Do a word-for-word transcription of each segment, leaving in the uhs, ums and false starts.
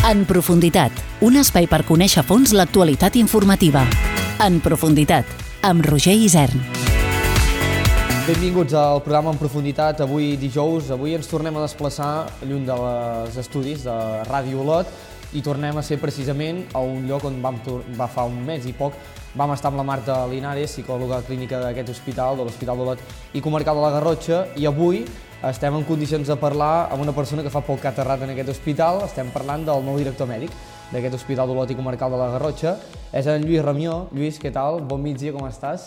En profunditat, un espai per conèixer a fons l'actualitat informativa. En profunditat, amb Roger Isern. Benvinguts al programa En profunditat. Avui dijous, avui ens tornem a desplaçar lluny dels estudis de Ràdio Olot i tornem a ser precisament a un lloc on vam va fa un mes i poc vam estar amb la Marta Linares, psicòloga clínica d'aquest hospital, de l'Hospital d'Olot i Comarcal de la Garrotxa, i avui estem en condicions de parlar amb una persona que fa poc que ha aterrat en aquest hospital. Estem parlant del nou director mèdic d'aquest Hospital d'Olot i Comarcal de la Garrotxa. És en Lluís Ramió. Lluís, què tal? Bon migdia, com estàs?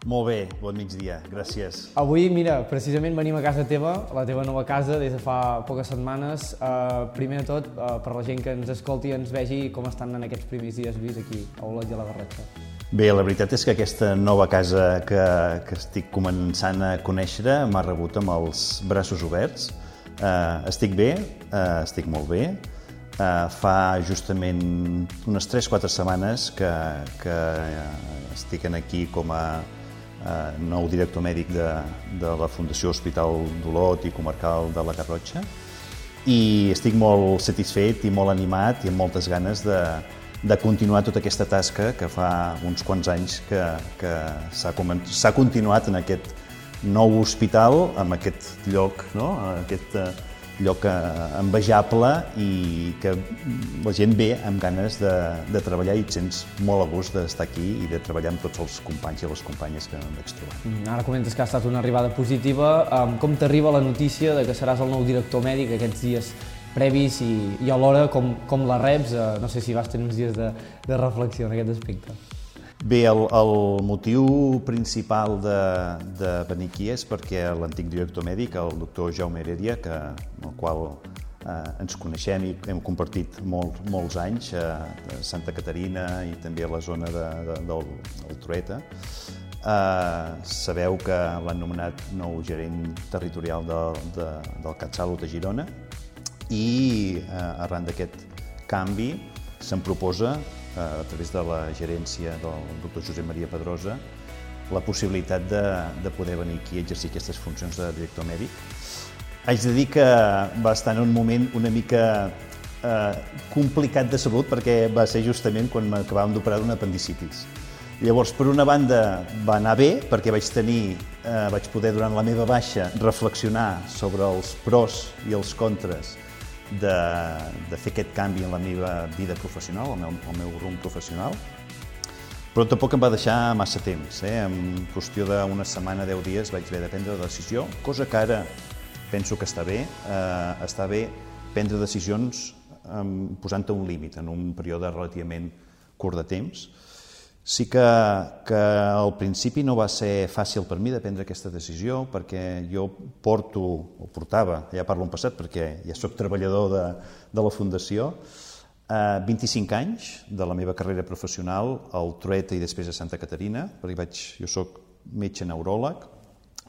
Molt bé, bon migdia, gràcies. Avui, mira, precisament venim a casa teva, la teva nova casa, des de fa poques setmanes. Uh, primer de tot, uh, per la gent que ens escolti i ens vegi, com estan en aquests primers dies, Lluís, aquí a Olot i a la Garrotxa? Bé, la veritat és que aquesta nova casa que, que estic començant a conèixer m'ha rebut amb els braços oberts. Uh, estic bé, uh, estic molt bé. Uh, fa justament unes tres o quatre setmanes que, que estic aquí com a uh, nou director mèdic de, de la Fundació Hospital d'Olot i Comarcal de la Garrotxa, i estic molt satisfet i molt animat i amb moltes ganes de, de continuar tota aquesta tasca que fa uns quants anys que, que s'ha continuat en aquest nou hospital, en aquest lloc, no? Aquest uh, lloc envejable i que la gent ve amb ganes de, de treballar, i et sents molt a gust d'estar aquí i de treballar amb tots els companys i les companyes que em vaig trobar. Ara comentes que ha estat una arribada positiva. Com t'arriba la notícia de que seràs el nou director mèdic aquests dies previs i, i alhora com, com la reps? No sé si vas tenir uns dies de, de reflexió en aquest aspecte. Bé, el, el motiu principal de, de venir aquí és perquè l'antic director mèdic, el doctor Jaume Heredia, que, amb el qual eh, ens coneixem i hem compartit molt, molts anys a Santa Caterina i també a la zona de, de, del, del Trueta, eh, sabeu que l'han nomenat nou gerent territorial de, de, del CatSalut a Girona, i eh, arran d'aquest canvi se'm proposa, a través de la gerència del doctor Josep Maria Pedrosa, la possibilitat de, de poder venir aquí a exercir aquestes funcions de director mèdic. Haig de dir que va estar en un moment una mica eh, complicat de salut, perquè va ser justament quan m'acabàvem d'operar d'una apendicitis. Llavors, per una banda, va anar bé, perquè vaig tenir, eh, vaig poder durant la meva baixa reflexionar sobre els pros i els contres De, de fer aquest canvi en la meva vida professional, el meu, el meu rumb professional, però tampoc em va deixar massa temps. Eh? En qüestió d'una setmana, deu dies, vaig haver de prendre la decisió, cosa que ara penso que està bé. Eh, està bé prendre decisions eh, posant-te un límit en un període relativament curt de temps. Sí que, que al principi no va ser fàcil per mi de prendre aquesta decisió, perquè jo porto, o portava, ja parlo en passat perquè ja soc treballador de, de la Fundació, eh, vint-i-cinc anys de la meva carrera professional al Trueta i després a Santa Caterina, perquè vaig, jo soc metge neuròleg,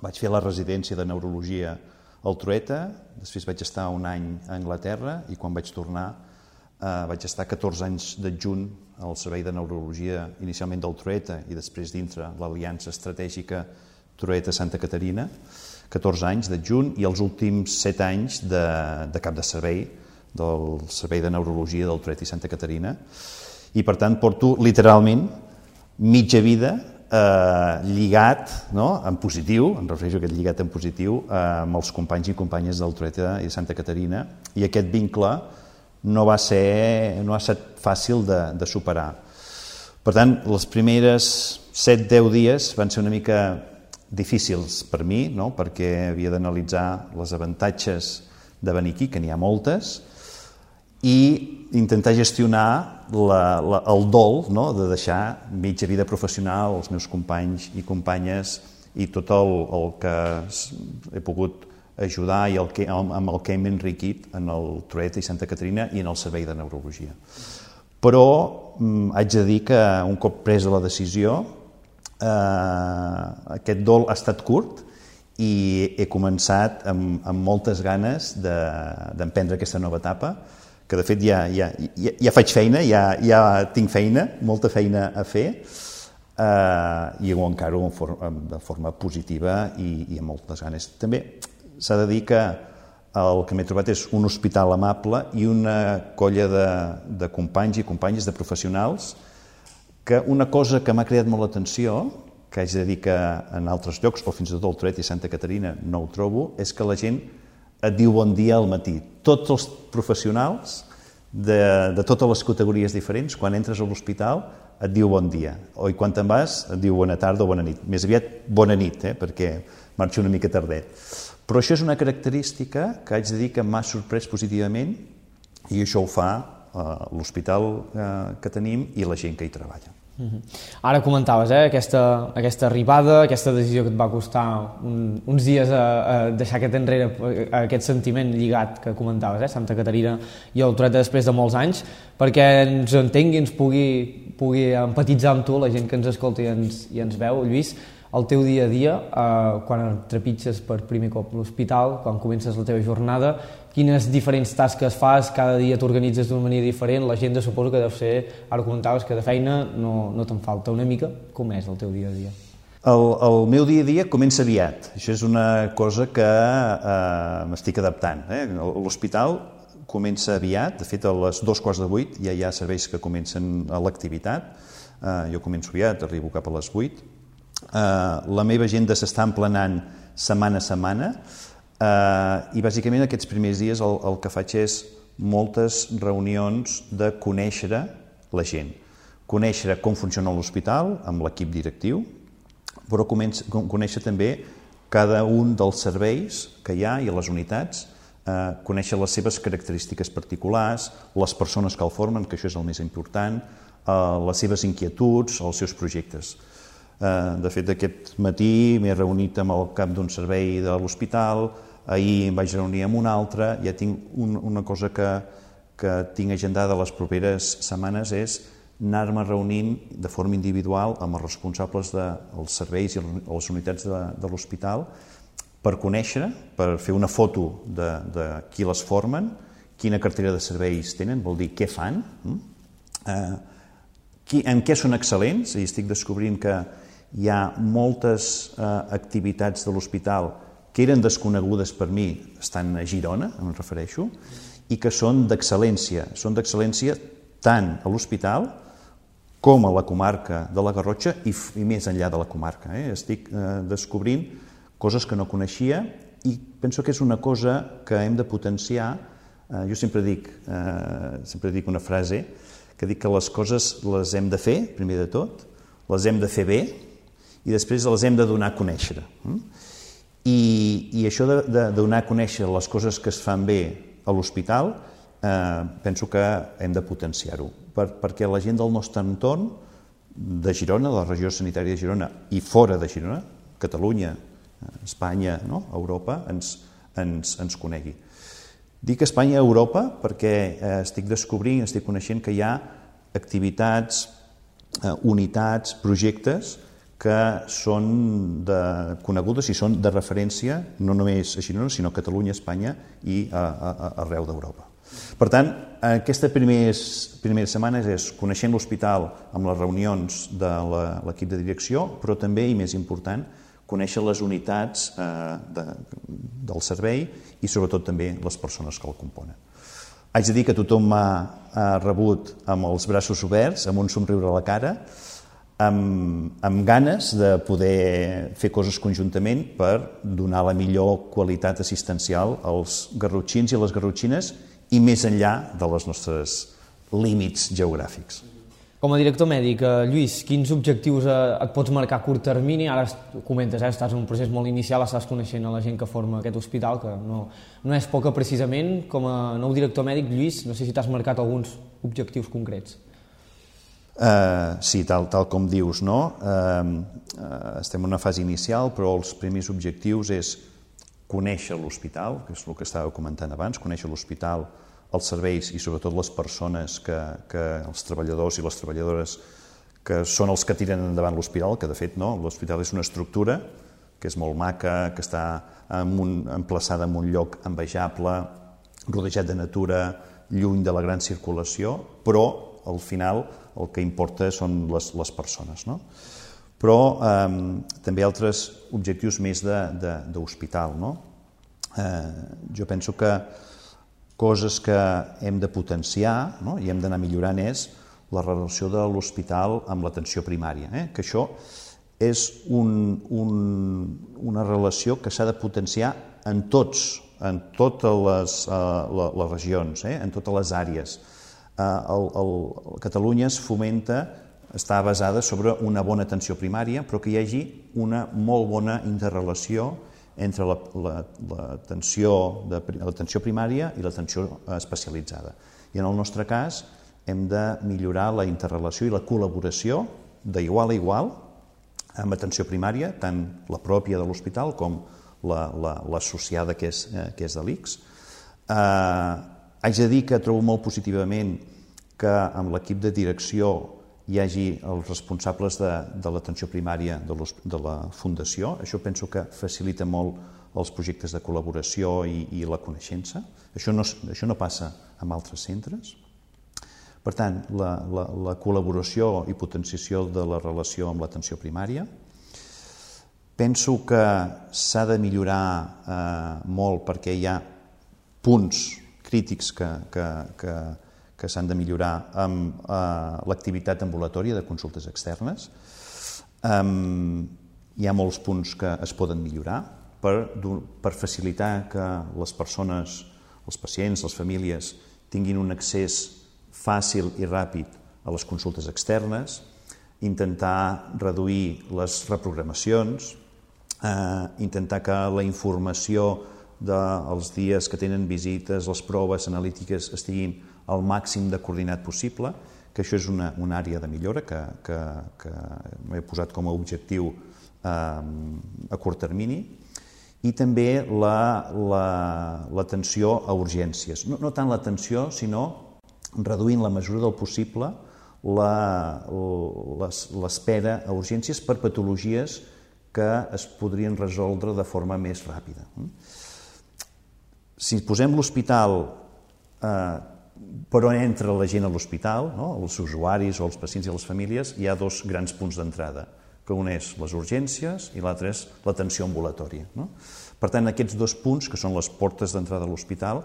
vaig fer la residència de neurologia al Trueta, després vaig estar un any a Anglaterra, i quan vaig tornar eh, vaig estar catorze anys d'adjunt al servei de neurologia, inicialment del Trueta i després dintre l'aliança estratègica Trueta-Santa Caterina, catorze anys d'adjunt, i els últims set anys de, de cap de servei del servei de neurologia del Trueta i Santa Caterina, i per tant porto literalment mitja vida eh, lligat, no? En positiu, em refereixo a aquest lligat en positiu, eh, amb els companys i companyes del Trueta i de Santa Caterina, i aquest vincle no va ser, no ha estat fàcil de, de superar. Per tant, les primeres set deu dies van ser una mica difícils per mi, no? Perquè havia d'analitzar les avantatges de venir aquí, que n'hi ha moltes, i intentar gestionar la, la, el dol, no? De deixar mitja vida professional, els meus companys i companyes, i tot el, el que he pogut ajudar i el que, amb el que hem enriquit en el Trueta i Santa Caterina i en el servei de neurologia. Però mm, haig de dir que un cop presa la decisió, eh, aquest dol ha estat curt i he començat amb, amb moltes ganes de, d'emprendre aquesta nova etapa, que de fet ja, ja, ja, ja faig feina, ja, ja tinc feina, molta feina a fer, eh, i ho encaro de forma positiva i, i amb moltes ganes. També s'ha de dir que el que m'he trobat és un hospital amable i una colla de, de companys i companyes, de professionals, que una cosa que m'ha creat molt l'atenció, que haig de dir que en altres llocs, o fins i tot al Toret i Santa Caterina no ho trobo, és que la gent et diu bon dia al matí. Tots els professionals de, de totes les categories diferents, quan entres a l'hospital, et diu bon dia. O i quan te'n vas, et diu bona tarda o bona nit. Més aviat bona nit, eh, perquè marxo una mica tardet. Però això és una característica que haig de dir que m'ha sorprès positivament i això ho fa eh, l'hospital eh, que tenim i la gent que hi treballa. Mm-hmm. Ara comentaves eh, aquesta, aquesta arribada, aquesta decisió que et va costar un, uns dies a, a deixar aquest enrere, a aquest sentiment lligat que comentaves, eh, Santa Caterina i el Toret després de molts anys, perquè ens entengui, ens pugui, pugui empatitzar amb tu, la gent que ens escolta i ens, i ens veu. Lluís, el teu dia a dia, eh, quan trepitges per primer cop l'hospital, quan comences la teva jornada, quines diferents tasques fas, cada dia t'organitzes d'una manera diferent, la gent suposo que deu ser, ara comentaves que de feina no, no te'n falta una mica, com és el teu dia a dia? El, el meu dia a dia comença aviat, això és una cosa que eh, m'estic adaptant. Eh? L'hospital comença aviat, de fet a les dos quarts de vuit ja hi ha serveis que comencen a l'activitat, eh, jo començo aviat, arribo cap a les vuit. Uh, la meva agenda s'està emplenant setmana a setmana uh, i bàsicament aquests primers dies el, el que faig és moltes reunions de conèixer la gent, conèixer com funciona l'hospital amb l'equip directiu, però comença, conèixer també cada un dels serveis que hi ha i les unitats, uh, conèixer les seves característiques particulars, les persones que el formen, que això és el més important, uh, les seves inquietuds, els seus projectes. De fet, aquest matí m'he reunit amb el cap d'un servei de l'hospital, ahir em vaig reunir amb un altre, ja tinc un, una cosa que, que tinc agendada les properes setmanes és anar-me reunint de forma individual amb els responsables dels serveis i les unitats de, de l'hospital per conèixer, per fer una foto de, de qui les formen, quina cartera de serveis tenen, vol dir què fan, eh, qui, en què són excel·lents, i estic descobrint que hi ha moltes eh, activitats de l'hospital que eren desconegudes per mi, estan a Girona, em refereixo, i que són d'excel·lència. Són d'excel·lència tant a l'hospital com a la comarca de la Garrotxa i, i més enllà de la comarca. Eh? Estic eh, descobrint coses que no coneixia i penso que és una cosa que hem de potenciar. Eh, jo sempre dic, eh, sempre dic una frase que dic que les coses les hem de fer, primer de tot, les hem de fer bé, i després les hem de donar a conèixer. I, i això de, de donar a conèixer les coses que es fan bé a l'hospital, eh, penso que hem de potenciar-ho, per, perquè la gent del nostre entorn, de Girona, de la regió sanitària de Girona, i fora de Girona, Catalunya, Espanya, no? Europa, ens, ens, ens conegui. Dic Espanya i Europa perquè eh, estic descobrint, estic coneixent que hi ha activitats, eh, unitats, projectes que són de, conegudes i són de referència no només a Girona, sinó a Catalunya, Espanya i a, a, a arreu d'Europa. Per tant, aquesta primeres, primeres setmanes és coneixent l'hospital amb les reunions de l'equip de direcció, però també, i més important, conèixer les unitats eh, de, del servei i sobretot també les persones que el componen. Haig de dir que tothom m'ha rebut amb els braços oberts, amb un somriure a la cara, amb, amb ganes de poder fer coses conjuntament per donar la millor qualitat assistencial als garrotxins i a les garrotxines i més enllà de les nostres límits geogràfics. Com a director mèdic, Lluís, quins objectius et pots marcar a curt termini? Ara comentes, eh, estàs en un procés molt inicial, estàs coneixent a la gent que forma aquest hospital, que no, no és poca precisament. Com a nou director mèdic, Lluís, no sé si t'has marcat alguns objectius concrets. Uh, sí, tal, tal com dius, no? Uh, uh, estem en una fase inicial, però els primers objectius és conèixer l'hospital, que és el que estava comentant abans, conèixer l'hospital, els serveis i sobretot les persones, que, que els treballadors i les treballadores que són els que tiren endavant l'hospital, que de fet no, l'hospital és una estructura que és molt maca, que està en un, emplaçada en un lloc envejable, rodejat de natura, lluny de la gran circulació, però al final el que importa són les, les persones, no? Però eh, també altres objectius més d'hospital, no? Jo penso que coses que hem de potenciar i hem d'anar millorant és la relació de l'hospital amb l'atenció primària, que això és una relació que s'ha de potenciar en tots, en totes les regions, en totes les àrees. Catalunya es fomenta, està basada sobre una bona atenció primària, però que hi hagi una molt bona interrelació entre l'atenció primària i l'atenció especialitzada. I en el nostre cas hem de millorar la interrelació i la col·laboració d'igual a igual amb atenció primària, tant la pròpia de l'hospital com l'associada que és de l'I C S. Haig de dir que trobo molt positivament que amb l'equip de direcció hi hagi els responsables de l'atenció primària de la Fundació. Això penso que facilita molt els projectes de col·laboració i la coneixença. Això no passa en altres centres. Per tant, la col·laboració i potenciació de la relació amb l'atenció primària. Penso que s'ha de millorar molt perquè hi ha punts crítics que s'han de millorar amb l'activitat ambulatòria de consultes externes. Hi ha molts punts que es poden millorar per facilitar que les persones, els pacients, les famílies, tinguin un accés fàcil i ràpid a les consultes externes, intentar reduir les reprogramacions, intentar que la informació dels dies que tenen visites, les proves analítiques estiguin al màxim de coordinat possible, que això és una àrea de millora que m'he posat com a objectiu a curt termini, i també l'atenció a urgències. No tant l'atenció, sinó reduint la mesura del possible l'espera a urgències per patologies que es podrien resoldre de forma més ràpida. Si posem l'hospital per on entra la gent a l'hospital, els usuaris o els pacients i les famílies, hi ha dos grans punts d'entrada, que un és les urgències i l'altre és l'atenció ambulatòria. Per tant, aquests dos punts, que són les portes d'entrada a l'hospital,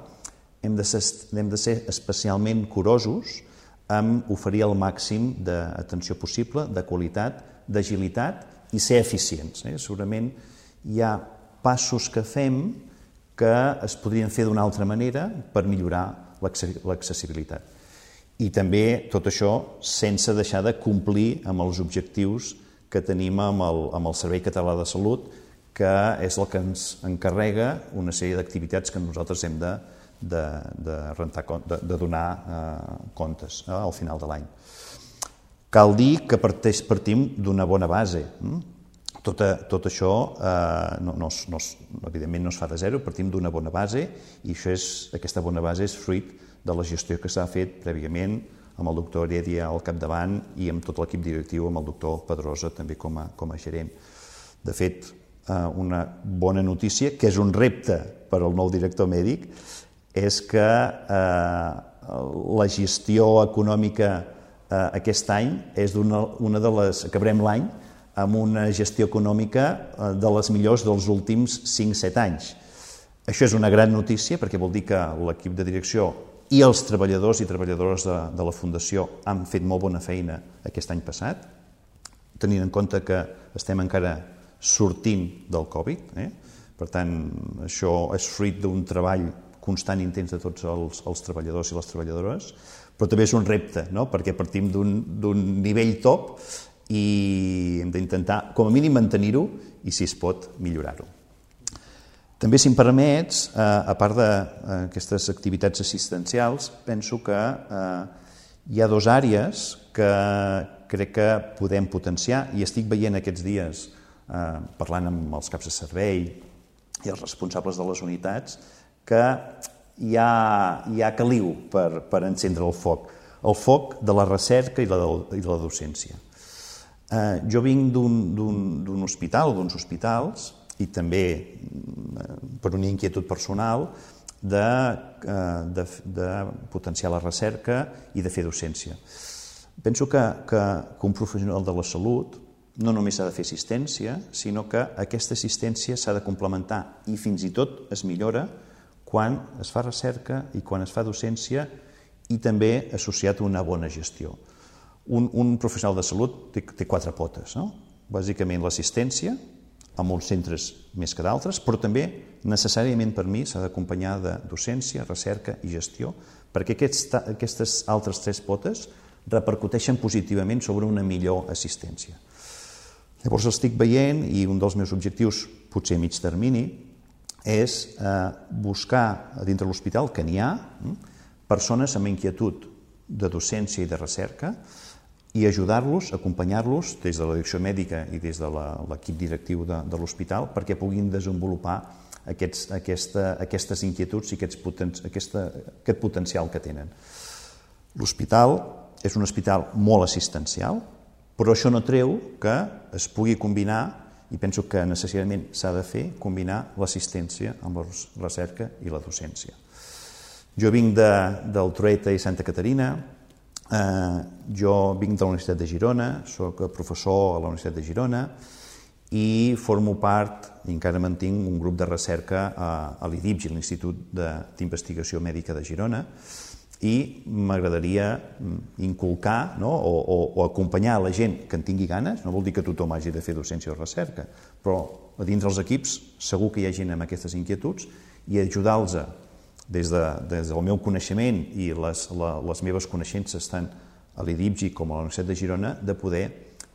hem de ser especialment curosos amb oferir el màxim d'atenció possible, de qualitat, d'agilitat i ser eficients. Segurament hi ha passos que fem que es podrien fer d'una altra manera per millorar l'accessibilitat. I també tot això sense deixar de complir amb els objectius que tenim amb el Servei Català de Salut, que és el que ens encarrega una sèrie d'activitats que nosaltres hem de de donar comptes al final de l'any. Cal dir que partim d'una bona base. Tot això, evidentment, no es fa de zero, partim d'una bona base i aquesta bona base és fruit de la gestió que s'ha fet prèviament amb el doctor Heredia al capdavant i amb tot l'equip directiu, amb el doctor Pedrosa també com a gerent. De fet, una bona notícia, que és un repte per al nou director mèdic, és que la gestió econòmica aquest any és una de les... acabarem l'any amb una gestió econòmica de les millors dels últims cinc set anys. Això és una gran notícia perquè vol dir que l'equip de direcció i els treballadors i treballadores de la Fundació han fet molt bona feina aquest any passat, tenint en compte que estem encara sortint del Covid. Per tant, això és fruit d'un treball constant i intens de tots els treballadors i les treballadores, però també és un repte, perquè partim d'un nivell top i hem d'intentar, com a mínim, mantenir-ho i, si es pot, millorar-ho. També, si em permets, a part d'aquestes activitats assistencials, penso que hi ha dues àrees que crec que podem potenciar i estic veient aquests dies, parlant amb els caps de servei i els responsables de les unitats, que hi ha caliu per encendre el foc, el foc de la recerca i de la docència. Jo vinc d'un hospital, d'uns hospitals, i també per una inquietud personal de potenciar la recerca i de fer docència. Penso que un professional de la salut no només s'ha de fer assistència, sinó que aquesta assistència s'ha de complementar i fins i tot es millora quan es fa recerca i quan es fa docència i també associat a una bona gestió. Un, un professional de salut té, té quatre potes, no? Bàsicament l'assistència, a molts centres més que d'altres, però també necessàriament per mi s'ha d'acompanyar de docència, recerca i gestió, perquè aquests, aquestes altres tres potes repercuteixen positivament sobre una millor assistència. Llavors estic veient, i un dels meus objectius, potser a mig termini, és eh, buscar dintre l'hospital, que n'hi ha, persones amb inquietud de docència i de recerca i ajudar-los, acompanyar-los des de la direcció mèdica i des de l'equip directiu de, de l'hospital perquè puguin desenvolupar aquests, aquesta, aquestes inquietuds i aquests poten, aquesta, aquest potencial que tenen. L'hospital és un hospital molt assistencial, però això no treu que es pugui combinar, i penso que necessàriament s'ha de fer, combinar l'assistència amb la recerca i la docència. Jo vinc de, del Trueta i Santa Caterina, eh, jo vinc de la Universitat de Girona, soc professor a la Universitat de Girona i formo part, i encara mantinc, un grup de recerca a, a l'I D I B G, l'Institut d'Investigació Mèdica de Girona, i m'agradaria inculcar, no? o, o, o acompanyar la gent que en tingui ganes, no vol dir que tothom hagi de fer docència o recerca, però a dins dels equips segur que hi ha gent amb aquestes inquietuds i ajudar-los des, de, des del meu coneixement i les, la, les meves coneixences tant a l'I D I B G com a la Universitat de Girona de poder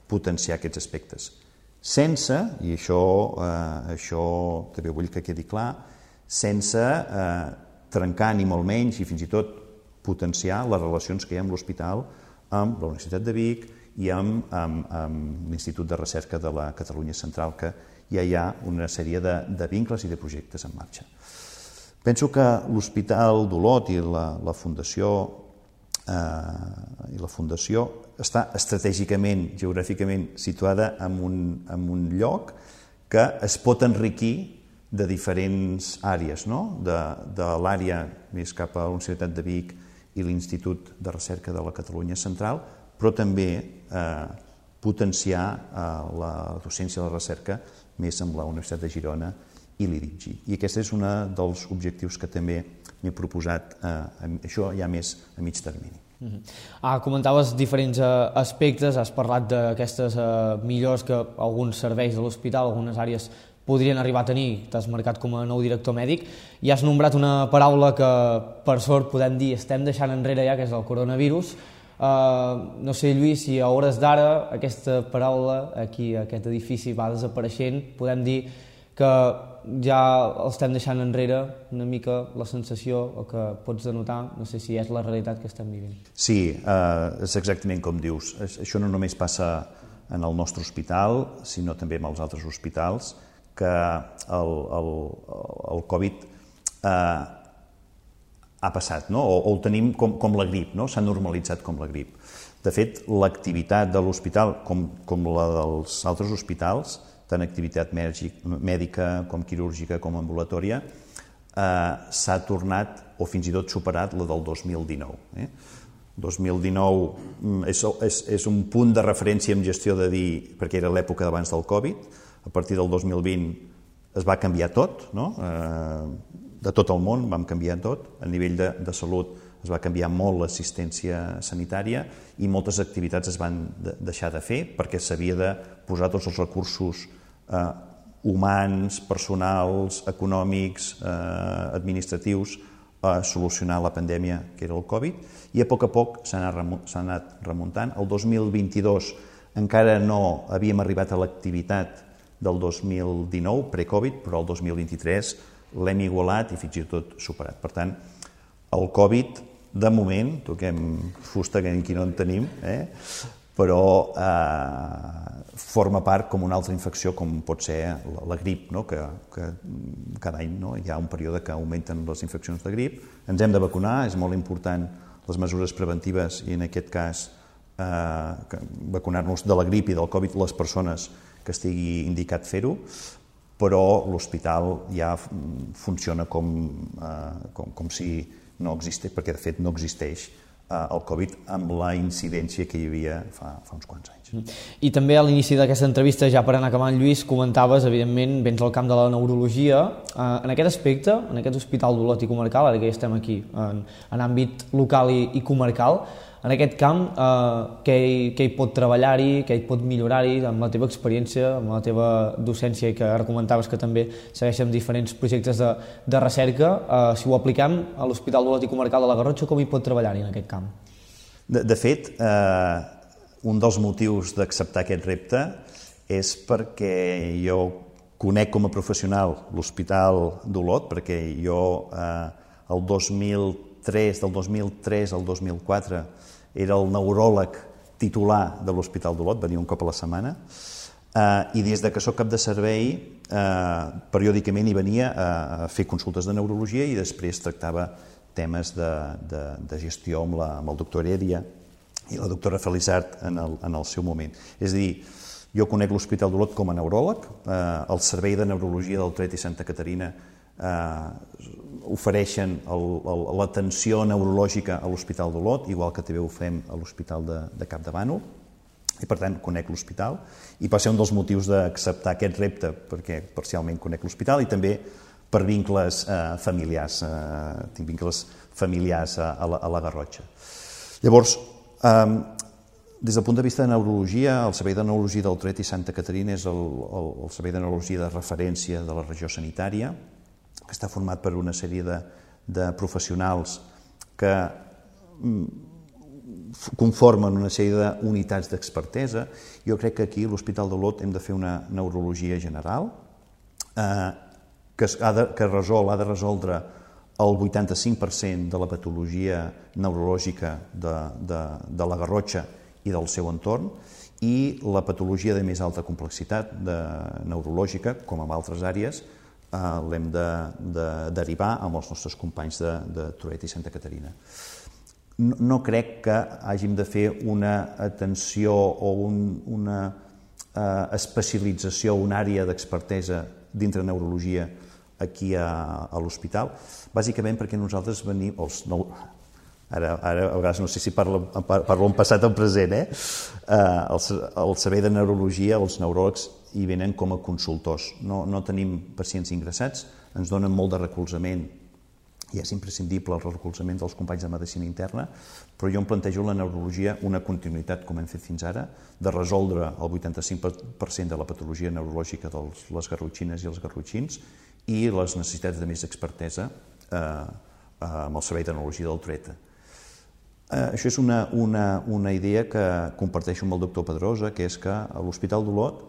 potenciar aquests aspectes. Sense, i això, eh, això també vull que quedi clar, sense eh, trencar ni molt menys i fins i tot potenciar les relacions que hi ha amb l'hospital, amb la Universitat de Vic i amb, amb, amb l'Institut de Recerca de la Catalunya Central, que ja hi ha una sèrie de, de vincles i de projectes en marxa. Penso que l'Hospital d'Olot i la, la Fundació eh, i la Fundació està estratègicament, geogràficament situada en un, en un lloc que es pot enriquir de diferents àrees, no? de, de l'àrea més cap a la Universitat de Vic i l'Institut de Recerca de la Catalunya Central, però també eh, potenciar eh, la docència i la recerca més amb la Universitat de Girona i l'I D I B G. I aquest és un dels objectius que també m'he proposat, eh, això ja més a mig termini. Uh-huh. Ah, comentaves diferents eh, aspectes, has parlat d'aquestes eh, millors que alguns serveis de l'hospital, algunes àrees podrien arribar a tenir, t'has marcat com a nou director mèdic, i has nombrat una paraula que, per sort, podem dir, estem deixant enrere ja, que és el coronavirus. Uh, no sé, Lluís, si a hores d'ara aquesta paraula, aquí, aquest edifici, va desapareixent, podem dir que ja el estem deixant enrere una mica la sensació, o que pots denotar, no sé si és la realitat que estem vivint. Sí, uh, és exactament com dius. Això no només passa en el nostre hospital, sinó també en els altres hospitals, que el, el, el Covid eh, ha passat, no? o, o el tenim com, com la grip, no? S'ha normalitzat com la grip. De fet, l'activitat de l'hospital, com, com la dels altres hospitals, tant activitat mèdica com quirúrgica com ambulatòria, eh, s'ha tornat o fins i tot superat la del dos mil dinou. Eh? dos mil dinou és, és, és un punt de referència en gestió de dir, perquè era l'època d'abans del Covid. A partir del dos mil vint es va canviar tot, no? eh, de tot el món vam canviar tot, a nivell de, de salut es va canviar molt l'assistència sanitària i moltes activitats es van de, deixar de fer perquè s'havia de posar tots els recursos eh, humans, personals, econòmics, eh, administratius a solucionar la pandèmia que era el Covid, i a poc a poc s'ha anat, s'ha anat remuntant. El dos mil vint-i-dos encara no havíem arribat a l'activitat del dos mil dinou, pre-Covid, però el dos mil vint-i-tres l'hem igualat i fins i tot superat. Per tant, el Covid, de moment, toquem fusta que aquí no en tenim, eh? però eh, forma part com una altra infecció, com pot ser la, la grip, no? que, que cada any no? hi ha un període que augmenten les infeccions de grip. Ens hem de vacunar, és molt important les mesures preventives i en aquest cas eh, vacunar-nos de la grip i del Covid les persones que estigui indicat fer-ho, però l'hospital ja funciona com, eh, com, com si no existeix, perquè de fet no existeix eh, el Covid amb la incidència que hi havia fa, fa uns quants anys. I també a l'inici d'aquesta entrevista, ja per anar acabant, Lluís, comentaves, evidentment, vens al camp de la neurologia. En aquest aspecte, en aquest hospital d'Olot i comarcal, ara que ja estem aquí, en, en àmbit local i, i comarcal, en aquest camp, eh, què, hi, què hi pot treballar-hi, què hi pot millorar-hi, amb la teva experiència, amb la teva docència, i que ara comentaves que també segueixen diferents projectes de, de recerca, eh, si ho apliquem a l'Hospital d'Olot i comarcal de la Garrotxa, com hi pot treballar-hi en aquest camp? De, de fet, eh, un dels motius d'acceptar aquest repte és perquè jo conec com a professional l'Hospital d'Olot, perquè jo eh, el dos mil tres, del dos mil tres al dos mil quatre era el neuròleg titular de l'Hospital d'Olot, venia un cop a la setmana, eh, i des de que soc cap de servei, eh, periòdicament hi venia a, a fer consultes de neurologia i després tractava temes de, de, de gestió amb, la, amb el doctor Heredia i la doctora Felizard en el, en el seu moment. És a dir, jo conec l'Hospital d'Olot com a neuròleg, eh, el Servei de Neurologia del Trueta i Santa Caterina eh, ofereixen l'atenció neurològica a l'Hospital d'Olot, igual que també ho fem a l'Hospital de, de Capdavànol, i per tant conec l'hospital, i va ser un dels motius d'acceptar aquest repte, perquè parcialment conec l'hospital i també per vincles eh, familiars, eh, tinc vincles familiars a, a, la, a la Garrotxa. Llavors, Um, des del punt de vista de neurologia, el Servei de Neurologia del Trueta i Santa Caterina és el, el, el servei de neurologia de referència de la regió sanitària, que està format per una sèrie de, de professionals que mm, conformen una sèrie d'unitats d'expertesa. Jo crec que aquí a l'Hospital d'Olot hem de fer una neurologia general, eh, que, ha de, que resol, ha de resoldre el vuitanta-cinc per cent de la patologia neurològica de, de, de la Garrotxa i del seu entorn, i la patologia de més alta complexitat de neurològica, com en altres àrees, eh, l'hem de, de derivar amb els nostres companys de, de Trueta i Santa Caterina. No, no crec que hàgim de fer una atenció o un, una eh, especialització, una àrea d'expertesa dintre neurologia aquí a, a l'hospital, bàsicament perquè nosaltres venim, els nou, ara, ara a vegades no sé si parlo, parlo en passat o en present, eh? Eh, el, el servei de neurologia, els neuròlegs hi venen com a consultors, no, no tenim pacients ingressats, ens donen molt de recolzament, i és imprescindible el recolzament dels companys de medicina interna, però jo em plantejo la neurologia una continuïtat, com hem fet fins ara, de resoldre el vuitanta-cinc per cent de la patologia neurològica de les garrotxines i els garrotxins i les necessitats de més expertesa eh, amb el Servei de Neurologia del Trueta. Eh, això és una, una, una idea que comparteixo amb el doctor Pedrosa, que és que a l'Hospital d'Olot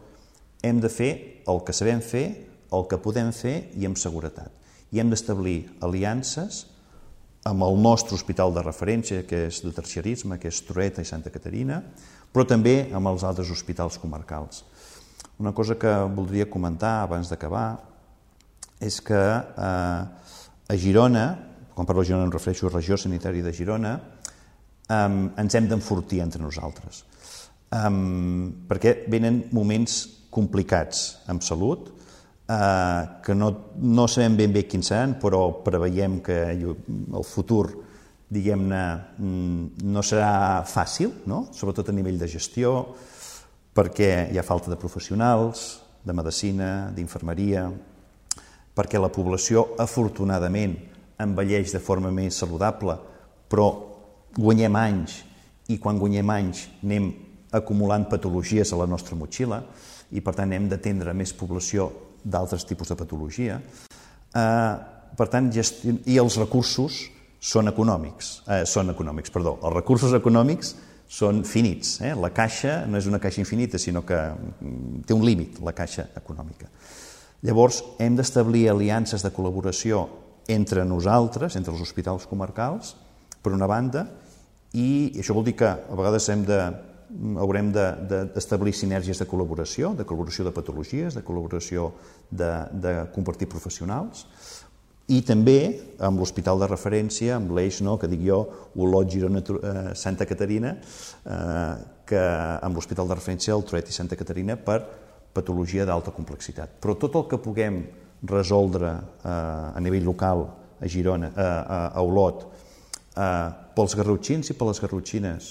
hem de fer el que sabem fer, el que podem fer i amb seguretat. I hem d'establir aliances amb el nostre hospital de referència, que és de terciarisme, que és Trueta i Santa Caterina, però també amb els altres hospitals comarcals. Una cosa que voldria comentar abans d'acabar és que eh, a Girona, quan parlo de Girona em refereixo a regió sanitària de Girona, eh, ens hem d'enfortir entre nosaltres, eh, perquè venen moments complicats amb salut, eh, que no, no sabem ben bé quins seran, però preveiem que el futur, diguem-ne, no serà fàcil, no? Sobretot a nivell de gestió, perquè hi ha falta de professionals, de medicina, d'infermeria, perquè la població, afortunadament, envelleix de forma més saludable, però guanyem anys, i quan guanyem anys anem acumulant patologies a la nostra motxilla, i per tant hem d'atendre més població d'altres tipus de patologia. Eh, per tant, gesti... i els recursos són econòmics, eh, són econòmics, perdó, els recursos econòmics són finits. Eh? La caixa no és una caixa infinita, sinó que té un límit, la caixa econòmica. Llavors, hem d'establir aliances de col·laboració entre nosaltres, entre els hospitals comarcals, per una banda, i això vol dir que a vegades hem de, haurem d'establir de, de, sinergies de col·laboració, de col·laboració de patologies, de col·laboració de, de compartir professionals, i també amb l'hospital de referència, amb l'eix, no, que dic jo, Olot, Girona, eh, Santa Caterina, eh, que amb l'hospital de referència el Trueta i Santa Caterina per patologia d'alta complexitat. Però tot el que puguem resoldre eh, a nivell local a Girona, eh, a Olot, eh, pels garrotxins i per les garrotxines,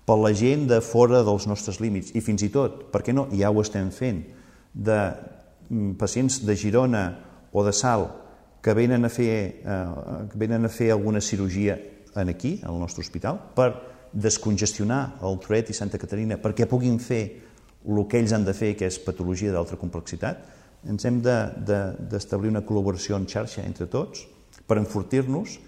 per la gent de fora dels nostres límits i fins i tot, per què no, ja ho estem fent, de pacients de Girona o de Salt que venen a fer, eh, venen a fer alguna cirurgia aquí, al nostre hospital, per descongestionar el Toret i Santa Caterina perquè puguin fer el que ells han de fer, que és patologia d'alta complexitat. Ens hem d'establir una col·laboració en xarxa entre tots per enfortir-nos,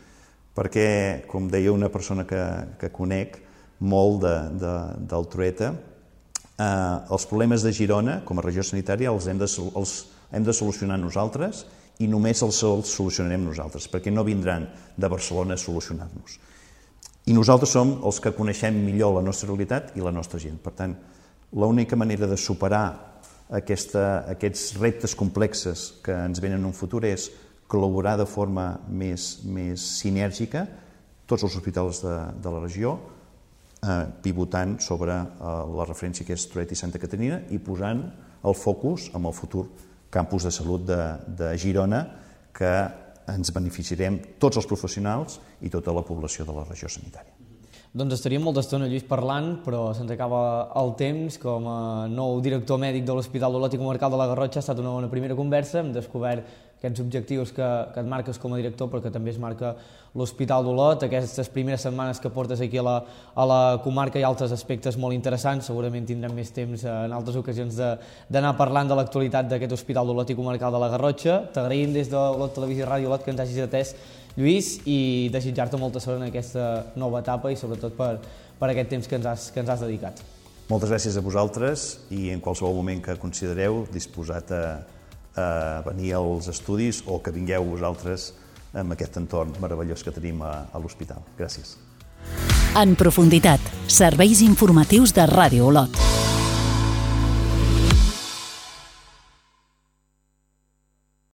perquè, com deia una persona que, que conec molt de, de, del Trueta, eh, els problemes de Girona, com a regió sanitària, els hem de, els hem de solucionar nosaltres i només els, els solucionarem nosaltres, perquè no vindran de Barcelona a solucionar-nos. I nosaltres som els que coneixem millor la nostra realitat i la nostra gent. Per tant, l'única manera de superar aquesta, aquests reptes complexes que ens venen en un futur és col·laborar de forma més, més sinèrgica tots els hospitals de, de la regió, eh, pivotant sobre eh, la referència que és Trueta i Santa Caterina i posant el focus en el futur campus de salut de, de Girona, que ens beneficiarem tots els professionals i tota la població de la regió sanitària. Doncs estaríem molta estona, Lluís, parlant, però se'ns acaba el temps. Com a nou director mèdic de l'Hospital d'Olot i Comarcal de la Garrotxa ha estat una bona primera conversa. Hem descobert aquests objectius que, que et marques com a director, però que també es marca l'Hospital d'Olot. Aquestes primeres setmanes que portes aquí a la, a la comarca hi ha altres aspectes molt interessants. Segurament tindrem més temps en altres ocasions d'anar parlant de l'actualitat d'aquest Hospital d'Olot i Comarcal de la Garrotxa. T'agraïm des de Olot Televisió i Ràdio Olot que ens hagis atès, Lluís, i desitjar-te molta sort en aquesta nova etapa i sobretot per, per aquest temps que ens, has, que ens has dedicat. Moltes gràcies a vosaltres i en qualsevol moment que considereu disposat a, a venir als estudis o que vingueu vosaltres en aquest entorn meravellós que tenim a, a l'hospital. Gràcies. En profunditat, serveis informatius de Ràdio Olot.